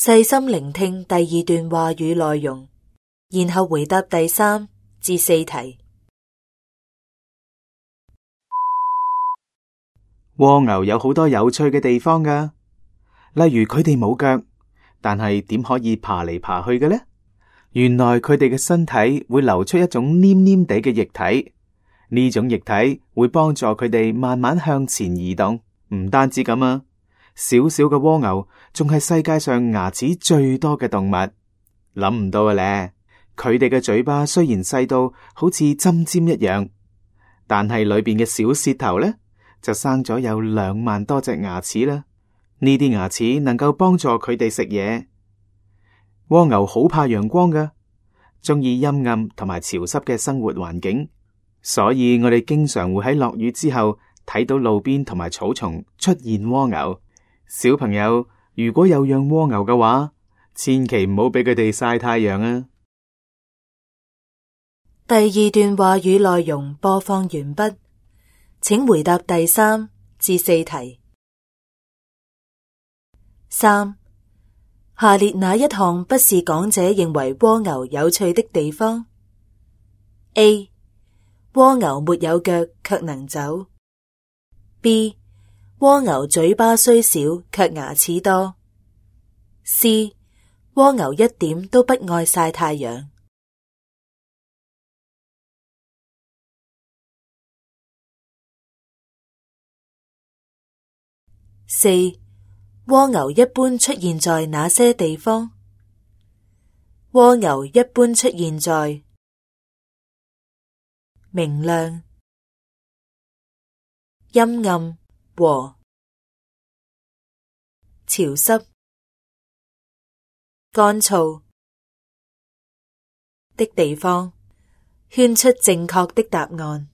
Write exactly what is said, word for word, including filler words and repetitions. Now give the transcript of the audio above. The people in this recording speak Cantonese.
細心聆聽第二段話語內容，然後回答第三至四題。蝸牛有好多有趣嘅地方㗎，例如佢哋冇腳，但係點可以爬嚟爬去嘅呢？原來佢哋嘅身體會流出一種黏黏地嘅液體，呢種液體會幫助佢哋慢慢向前移動。唔單止咁啊，小小嘅蝸牛仲係世界上牙齒最多嘅動物。諗唔到嘅咧，佢哋嘅嘴巴雖然細到好似針尖一樣，但係裏邊嘅小舌頭咧，就生咗有兩萬多隻牙齒啦。呢啲牙齒能夠幫助佢哋食嘢。蝸牛好怕陽光㗎，中意陰暗同埋潮濕嘅生活環境，所以我哋經常會喺落雨之後睇到路邊同埋草叢出現蝸牛。小朋友，如果有養蝸牛嘅話，千祈唔好俾佢哋曬太陽啊！第二段話語內容播放完畢，請回答第三至四題。三，下列哪一項不是講者認為蝸牛有趣的地方 ？A. 蝸牛沒有腳卻能走。B. 蝸牛嘴巴雖小卻牙齒多。C. 蝸牛一點都不愛曬太陽。四，蝸牛一般出現在哪些地方？蝸牛一般出現在明亮、陰暗和潮濕、乾燥的地方。圈出正確的答案。